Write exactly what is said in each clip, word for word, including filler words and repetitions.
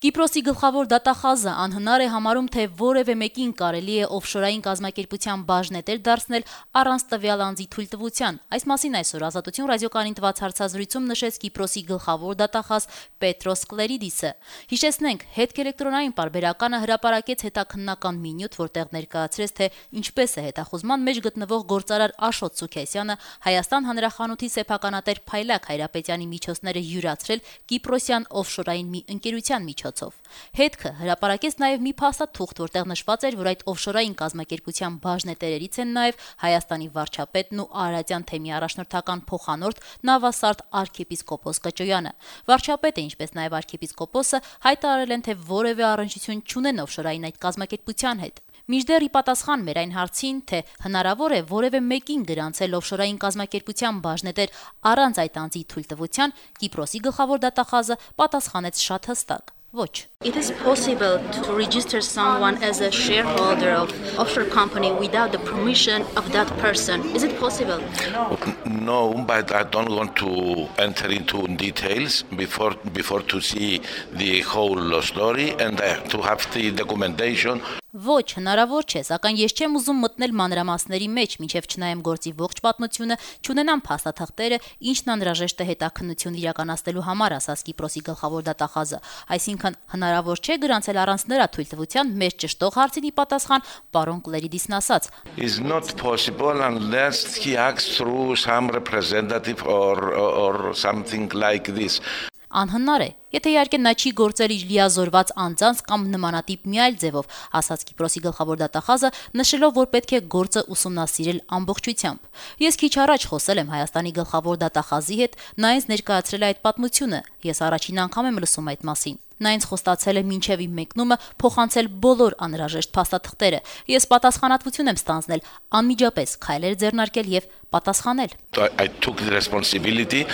Կիպրոսի գլխավոր դատախազը անհնար է համարում, թե որևէ մեկին կարելի է օֆշորային կազմակերպության բաժնետեր դարձնել առանց տվյալ անձի թույլտվության։ Այս մասին այսօր Ազատություն ռադիոկայանին տված հարցազրույցում նշեց Կիպրոսի գլխավոր դատախազ Պետրոս Կլերիդիսը։ Հիշեցնենք, հետքելեկտրոնային պարբերականը հրապարակեց հետաքննական մի նյութ, որտեղ ներկայացրեց, թե ինչպես է հետախուզման մեջ գտնվող գործարար Աշոտ Սուքեսյանը Հայաստան հանրախանութի սեփականատեր Փայլակ Հայրապետյանի միջոցները յուրացրել կիպրոսյան օֆշորային մի ընկերության միջոցով։ Հետքը հրապարակեց նաև մի փաստաթուղթ, որտեղ նշված էր, որ այդ օֆշորային կազմակերպության բաժնետերերից են նաև Հայաստանի վարչապետն ու Արարատյան թեմի առաջնորդական փոխանորդ Նավասարդ arczepiskopos Կճոյանը։ Վարչապետը, ինչպես նաև arczepiskoposը հայտարարել են, թե որևէ առնչություն չունեն օֆշորային այդ կազմակերպության հետ։ Մինչդեռ ի պատասխան մեր այն հարցին, թե հնարավոր է որևէ մեկին գրանցել օֆշորային կազմակերպության բաժնետեր առանց այդ անձի թույլտվության, Կիպրոսի գլխավոր դատախազը պատասխանեց շատ հստակ. Ոչ. It is possible to register someone as a shareholder of offshore company without the permission of that person. Is it possible? No, but I don't want to enter into details before before to see the whole story and uh, to have the documentation. Ոչ, հնարավոր չէ, սակայն ես չեմ ուզում մտնել մանրամասների մեջ, մինչև չնայեմ գործի ողջ պատմությունը, չունենամ փաստաթղթերը, ինչն անհրաժեշտ է հետաքննություն իրականացնելու համար, ասաց Կիպրոսի գլխավոր դատախազը։ Այսինքն հնարավոր չէ գրանցել առանց նրա թույլտվության մեր ճշտող հարցին ի պատասխան պարոն Կլերիդիսն ասաց. Is not possible unless he acts through some representative or or something like this. Անհնար է, եթե իհարկե նա չի գործել իր լիազորված անձանց կամ նմանատիպ մի այլ ձևով, ասաց Կիպրոսի գլխավոր դատախազը, նշելով, որ պետք է գործը ուսումնասիրել ամբողջությամբ։ Ես քիչ առաջ խոսել եմ Հայաստանի գլխավոր դատախազի հետ, նա ինձ ներկայացրել է այդ պատմությունը, ես առաջին անգամ եմ լսում այդ մասին։ Նա ինձ խոստացել է մինչև իմ մեկնումը փոխանցել բոլոր անհրաժեշտ փաստաթղթերը։ Ես պատասխանատվություն եմ ստանձնել անմիջապես քայլեր ձեռնարկել եւ պատասխանել։ I took the responsibility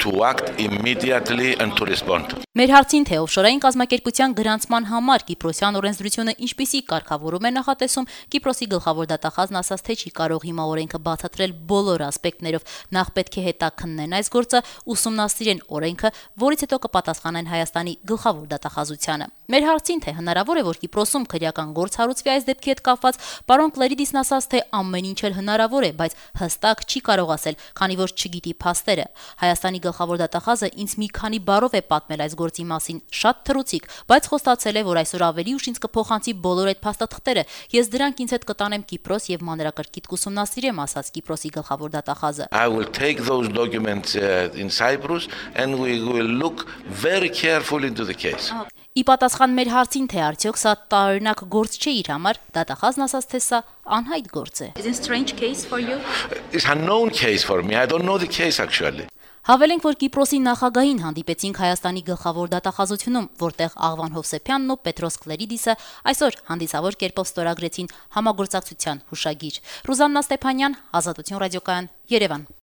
to act immediately and to respond. Մեր հարցին, թե օֆշորային կազմակերպության գրանցման համար Կիպրոսյան օրենսդրությունը ինչպիսի կարգավորում է նախատեսում, Կիպրոսի գլխավոր դատախազն ասաց, թե չի կարող հիմա օրենքը բացատրել բոլոր ասպեկտներով, նախ պետք է հետաքննեն այս գործը, ուսումնասիրեն օրենքը, որից հետո կպատասխանեն Հայաստանի գլխավոր դատախազությանը։ Մեր հարցին, թե հնարավոր է, որ Կիպրոսում քրեական գործ հարուցվի այս դեպքի հետ կապված, պարոն Կլերիդիսն ասաց, թե ամեն ինչ էլ հնարավոր է, բայց հստակ չի կարող ասել, քանի որ չգիտի փաստերը։ Հայաստանի գլխավոր դատախազը ինձ մի քանի բառով է պատմել այս գործի մասին, շատ թռուցիկ, բայց խոստացել է, որ այսօր ավելի ուշ ինձ կփոխանցի բոլոր այդ փաստաթղթերը։ Ես դրանք ինձ հետ կտանեմ Կիպրոս եւ մանրակրկիտ կուսումնասիրեմ, ասաց Կիպրոսի գլխավոր դատախազը։ I will take those documents uh, in Cyprus and we will look very carefully into the case. Ի պատասխան մեր հարցին, թե արդյոք սա տարօրինակ գործ չէ իր համար, դատախազն ասաց, թե սա անհայտ գործ է։ Is it a strange case for you? It's a known case for me. I don't know the case actually. Հավելենք, որ Կիպրոսի նախագահին հանդիպեցինք Հայաստանի գլխավոր դատախազությունում, որտեղ Աղվան Հովսեփյանն ու Պետրոս Կլերիդիսը այսօր հանդիսավոր կերպով ստորագրեցին համագործակցության հուշագիր։ Ռուզաննա Ստեփանյան, Ազատություն ռադիոկայան, Երևան։